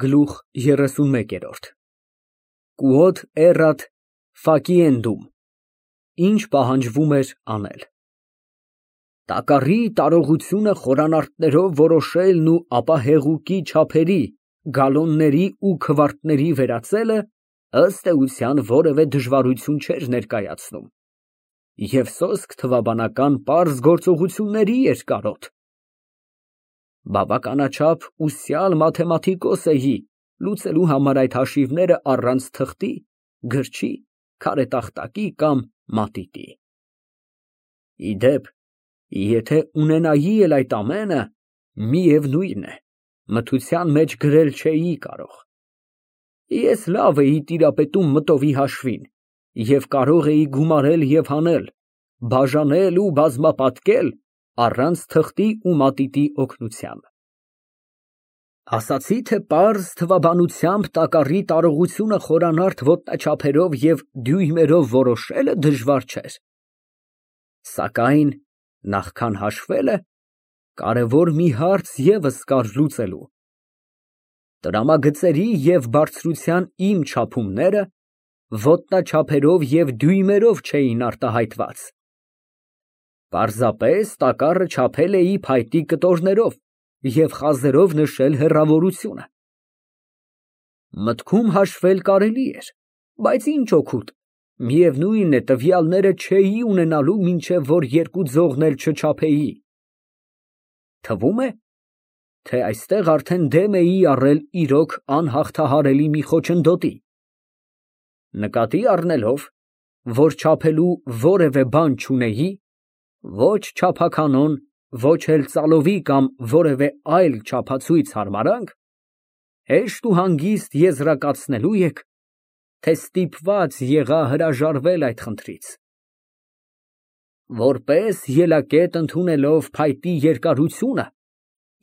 Գլուխ 31 Quod erat faciendum Ինչ պահանջվում էր անել։ Տակառի տարողությունը խորանարդներով որոշելն ու ապա հեղուկի չափերի, գալոնների ու քվարտների վերածելը, ըստ էության, որևէ դժվարություն չէր ներկայացնում և սոսկ թվաբանական պարզ գործողությունների էր կարոտ։ Բավականաչափ ուսյալ մաթեմատիկոս էի լուծելու համար այդ հաշիվները առանց թղթի, գրչի, քարետախտակի կամ մատիտի։ Ի դեպ, եթե ունենայի էլ այդ ամենը, միևնույն է, մթության մեջ գրել չէի կարող։ Ես լավ էի տիրապետում մտովի հաշվին և կարող էի գումարել և հանել, բաժանել ու բազմապատկել առանց թղթի ու մատիտի օգնության։ Ասացի, թե պարզ թվաբանությամբ տակառի տարողությունը խորանարդ ոտնաչափերով և դյույմերով որոշելը դժվար չէր, սակայն նախքան հաշվելը, կարևոր մի հարց ևս կար լուծելու։ Տրամագծերի և բարձրության իմ չափումները ոտնաչափերով և դյույմերով չէին արտահայտված։ Պարզապես տակառը չափել էի փայտի կտորներով և խազերով նշել հեռավորությունը։ Մտքում հաշվել կարելի էր, բայց ինչ օգուտ, միևնույն է, տվյալները չէի ունենալու, մինչև որ երկու ձողն էլ չչափեի։ Թվում է, թե այստեղ արդեն դեմ էի առել իրոք անհաղթահարելի մի խոչընդոտի։ Նկատի առնելով, որ չափելու որևէ բան չունեի, ոչ չափականոն, ոչ էլ ծալովի կամ որևէ այլ չափածույց հարմարանք, հեշտ ու հանգիստ եզրակացնելու եք, թե ստիպված եղա հրաժարվել այդ խնդրից։ Որպես ելակետ ընդունելով փայտի երկարությունը,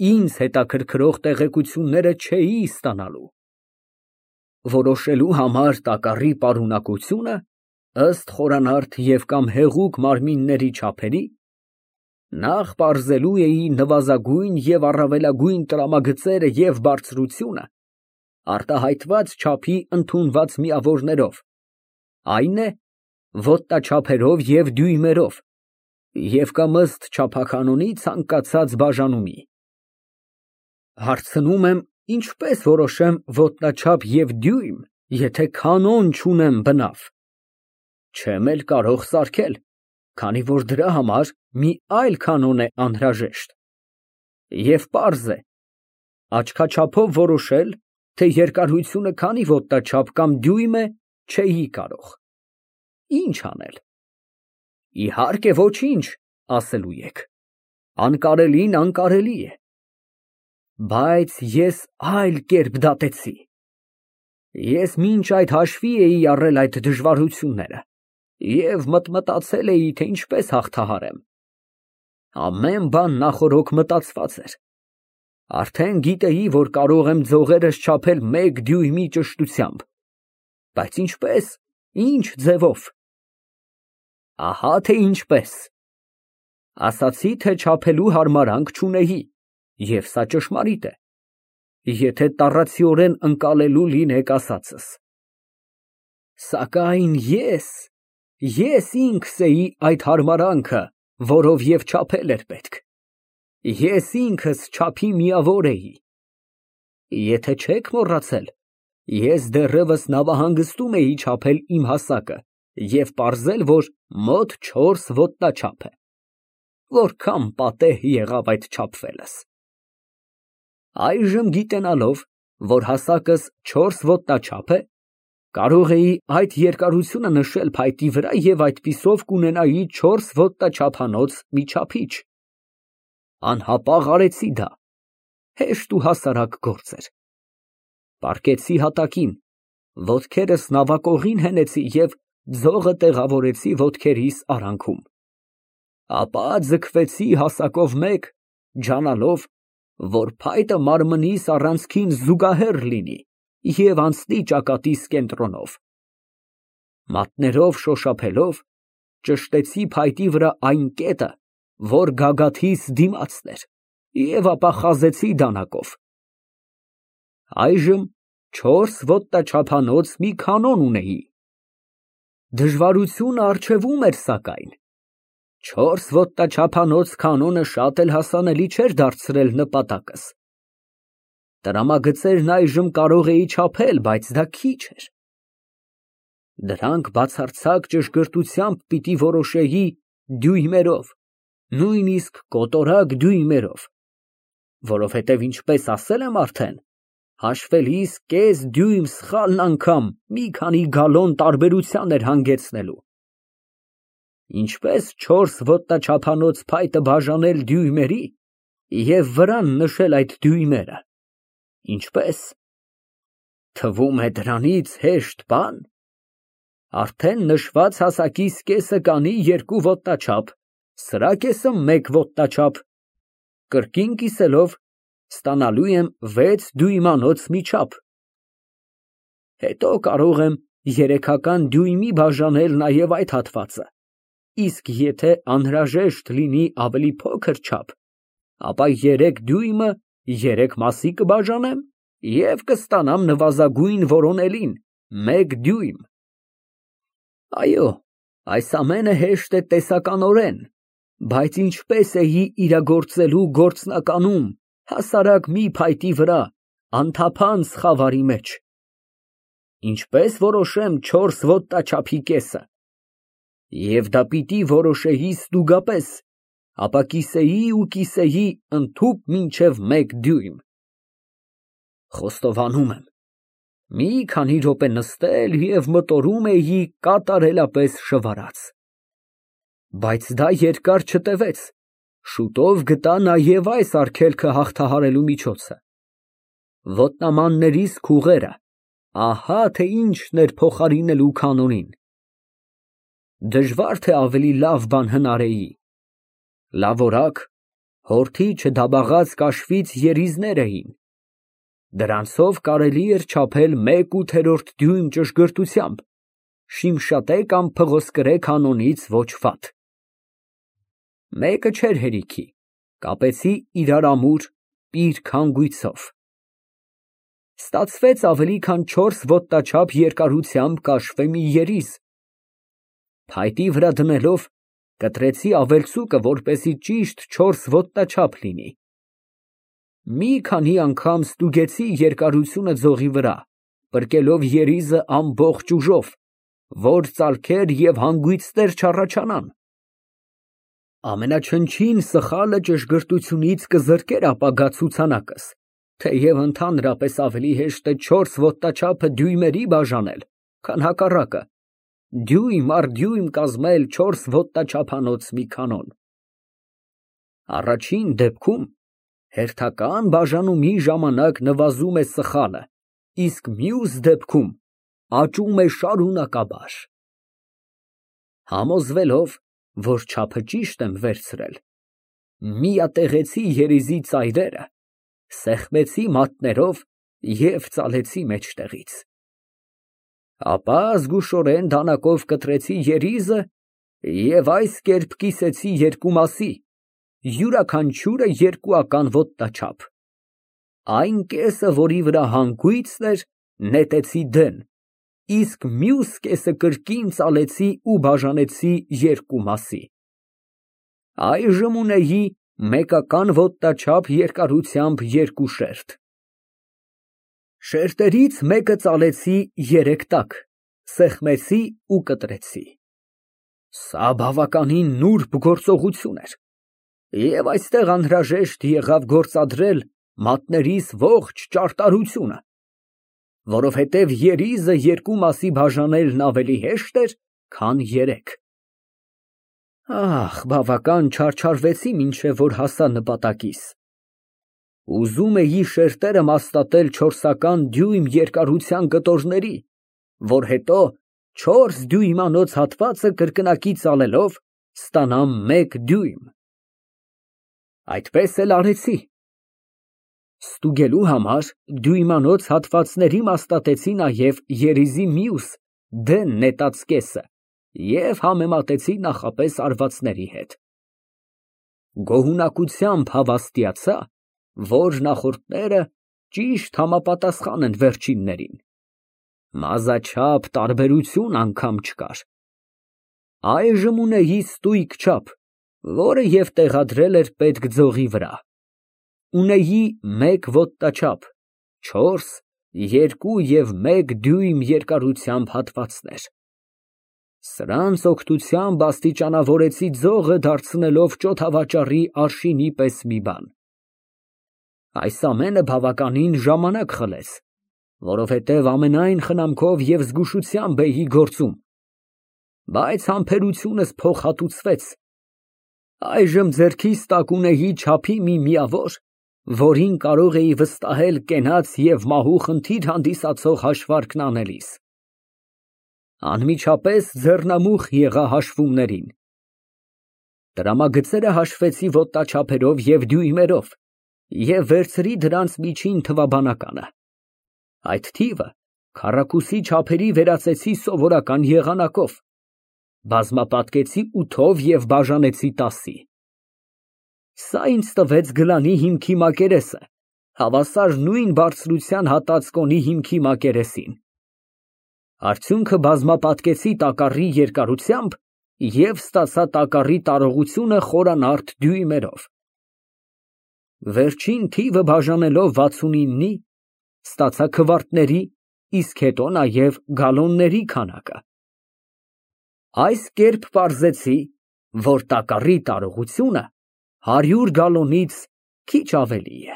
ինձ հետաքրքրող տեղեկությունները չէի ստանալու։ Որոշելու համար տակառի պարունակությունը, ըստ խորանարդ և կամ հեղուկ մարմինների չափերի, նախ պարզելու էի նվազագույն և առավելագույն տրամագծերը և բարձրությունը, արտահայտված չափի ընդունված միավորներով, այն է, ոտնաչափերով և դյույմերով, և կամ ըստ չափականոնի ցանկացած բաժանումի։ Հարցնում եմ, ինչպես որոշեմ ոտնաչափ և դյույմ, եթե կանոն չունեմ բնավ։ Չեմ էլ կարող սարքել, քանի որ դրա համար մի այլ կանոն է անհրաժեշտ։ Եվ պարզ է, աչքաչափով որոշել, թե երկարությունը քանի ոտնաչափ կամ դյույմ է, չէի կարող։ Ինչ անել։ Իհարկե ոչինչ, ասելու եք, անկարելին անկարելի է։ Բայց ես այլ կերպ դատեցի։ Ես մինչ այդ հաշվի էի առել այդ դժվարությունները և մտածել էի, թե ինչպես հաղթահարեմ։ Ամեն բան նախօրոք մտածված էր։ Արդեն գիտեի, որ կարող եմ ձողերս չափել 1 դյույմի ճշտությամբ, բայց ինչպես, ինչ ձևով։ Ահա թե ինչպես։ Ասացի, թե չափելու հարմարանք չունեի, և սա ճշմարիտ է, եթե տառացիորեն ընկալելու լինեք ասածս։ Սակայն ես ինքս էի այդ հարմարանքը, որով և չափել էր պետք։ Ես ինքս չափի միավոր էի։ Եթե չեք մոռացել, ես դեռևս նավահանգստում էի չափել իմ հասակը և պարզել, որ մոտ 4 ոտնաչափ է։ Որքան պատեհ եղավ այդ չափվելս։ Այժմ գիտենալով, որ հասակս 4 ոտնաչափ է, կարող էի այդ երկարությունը նշել փայտի վրա և այդպիսով կունենայի 4 ոտնաչափանոց մի չափիչ։ Անհապաղ արեցի դա, հեշտ ու հասարակ գործ էր։ Պառկեցի հատակին, ոտքերս նավակողին հենեցի և ձողը տեղավորեցի ոտքերիս արանքում։ Ապա ձգվեցի հասակով մեկ, ջանալով, որ փայտը մարմնիս առանցքին զուգահեռ լինի և անցնի ճակատիս կենտրոնով։ Մատներով շոշափելով, ճշտեցի փայտի վրա այն կետը, որ գագաթիս դիմացն էր, և ապա խազեցի դանակով։ Այժմ 4 ոտնաչափանոց մի կանոն ունեի։ Դժվարությունը առջևում էր սակայն։ 4 ոտնաչափանոց կանոնը շատ էլ հասանելի չէր դարձրել նպատակս։ Տրամագծերն այժմ կարող էի չափել, բայց դա քիչ էր։ Դրանք բացարձակ ճշգրտությամբ պիտի որոշեի դյույմերով, նույնիսկ կոտորակ դյույմերով, որովհետև ինչպես ասել եմ արդեն, հաշվելիս կես դյույմ սխալն անգամ մի քանի գալոն տարբերության էր հանգեցնելու։ Ինչպես 4 ոտնաչափանոց փայտը բաժանել դյույմերի և վրան նշել այդ դյույմերը։ Ինչպես։ Թվում է դրանից հեշտ բան։ Արդեն նշված հասակիս կեսը կանի 2 ոտնաչափ, սրա կեսը 1 ոտնաչափ, կրկին կիսելով ստանալու եմ 6 դյույմանոց մի չափ։ Հետո կարող եմ 3-ական դյույմի բաժանել նաև այդ հատվածը, իսկ եթե անհրաժեշտ լինի ավելի փոքր չափ, ապա 3 դյույմը 3 մասի կբաժանեմ և կստանամ նվազագույն որոնելին 1 դյույմ։ Այո, այս ամենը հեշտ է տեսականորեն, բայց ինչպես էի իրագործելու գործնականում հասարակ մի փայտի վրա, անթափանց խավարի մեջ։ Ինչպես որոշեմ 4 ոտնաչափի կեսը։ Եվ դա պիտի որոշեի ստուգապես, ապա կիսեի ընդհուպ մինչև 1 դյույմ։ Խոստովանում եմ, մի քանի րոպե նստել և մտորում էի կատարելապես շվարած։ Բայց դա երկար չտևեց, շուտով գտա նաև այս արգելքը հաղթահարելու միջոցը։ Ոտնամաններիս քուղերը, ահա թե ինչն էր փոխարինելու կանոնին։ Դժվար թե ավելի լավ բան հնարեի։ Լավ հորթի չդաբաղած կաշվից երիզներ էին։ Դրանցով կարելի էր չափել 1/8 դյույմ ճշգրտությամբ, Շիմշատե կամ Փղոսկրե կանոնից ոչ վատ։ Մեկը չէր հերիքի, կապեցի իրար ամուր, պիր հանգույցով։ Ստացվեց ավելի քան 4 ոտնաչափ երկարությամբ կաշվե մի երիզ։ Փայտի վրա դնելով կտրեցի ավելցուկը, որպեսզի ճիշտ 4 ոտնաչափ լինի։ Մի քանի անգամ ստուգեցի երկարությունը ձողի վրա, պրկելով երիզը ամբողջ ուժով, որ ծալքեր և հանգույցներ չառաջանան։ Ամենաչնչին սխալը ճշգրտությունից կզրկեր ապագա ցուցանակս, թեև ընդհանրապես ավելի հեշտ է 4 ոտնաչափը դյույմերի բաժանել, քան հակառակը, դյույմ առ դյույմ կազմել 4 ոտնաչափանոց մի կանոն։ Առաջին դեպքում հերթական բաժանումի ժամանակ նվազում է սխալը, իսկ մյուս դեպքում աճում է շարունակաբար։ Համոզվելով, որ չափը ճիշտ եմ վերցրել, միատեղեցի երիզի ծայրերը, սեղմեցի մատներով և ծալեցի մեջտեղից։ Ապա զգուշորեն դանակով կտրեցի երիզը և այս կերպ կիսեցի 2 մասի, յուրաքանչյուրը 2-ական ոտնաչափ։ Այն կեսը, որի վրա հանգույցն էր, նետեցի դեն, իսկ մյուս կեսը կրկին ծալեցի ու բաժանեցի 2 մասի։ Այժմ ունեի 1-ական ոտնաչափ երկարությամբ 2 շերտ։ Շերտերից մեկը ծալեցի 3 տակ, սեղմեցի ու կտրեցի։ Սա բավականին նուրբ գործողություն էր, և այստեղ անհրաժեշտ եղավ գործադրել մատներիս ողջ ճարտարությունը, որովհետև երիզը 2 մասի բաժանելն ավելի հեշտ էր, քան 3։ Բավական չարչարվեցի, մինչև որ հասա նպատակիս։ Ուզում էի շերտերը մաստատել 4-ական դյույմ երկարության կտորների, որ հետո 4 դյույմանոց հատվածը կրկնակի ծալելով ստանամ 1 դյույմ։ Այդպես էլ արեցի։ Ստուգելու համար դյույմանոց հատվածների մաստատեցի նաև երիզի մյուս դեն նետած կեսը և համեմատեցի նախապես արվածների հետ։ Գոհունակությամբ հավաստիացա, որ նախորդները ճիշտ համապատասխան են վերջիններին։ Մազաչափ տարբերություն անգամ չկար։ Այժմ ունեի ստույգ չափ, որը և տեղադրել էր պետք ձողի վրա։ Ունեի 1 ոտնաչափ, 4, 2 և 1 դյույմ երկարությամբ հատվածներ։ Սրանց օգնությամբ աստիճանավորեցի ձողը, դարձնելով ճոթավաճառի արշինի պես մի բան։ Այս ամենը բավականին ժամանակ խլեց, որովհետև ամենայն խնամքով և զգուշությամբ էի գործում, բայց համբերությունս փոխհատուցվեց։ Այժմ ձեռքիս տակ ունեի չափի մի միավոր, որին կարող էի վստահել կենաց և մահու խնդիր հանդիսացող հաշվարկն անելիս։ Անմիջապես ձեռնամուխ եղա հաշվումներին։ Տրամագծերը հաշվեցի ոտնաչափերով և դյույմերով և վերցրի դրանց միջին թվաբանականը։ Այդ թիվը քառակուսի չափերի վերածեցի սովորական եղանակով, բազմապատկեցի 8-ով և բաժանեցի 10-ի։ Սա ինձ տվեց գլանի հիմքի մակերեսը, հավասար նույն բարձրության հատած կոնի հիմքի մակերեսին։ Արդյունքը բազմապատկեցի տակառի երկարությամբ և ստացա տակառի տարողությունը խորանարդ դյույմերով։ Վերջին թիվը բաժանելով 69-ի, ստացա քվարտների, իսկ հետո նաև գալոնների քանակը։ Այս կերպ պարզեցի, որ տակառի տարողությունը 100 գալոնից քիչ ավելի է։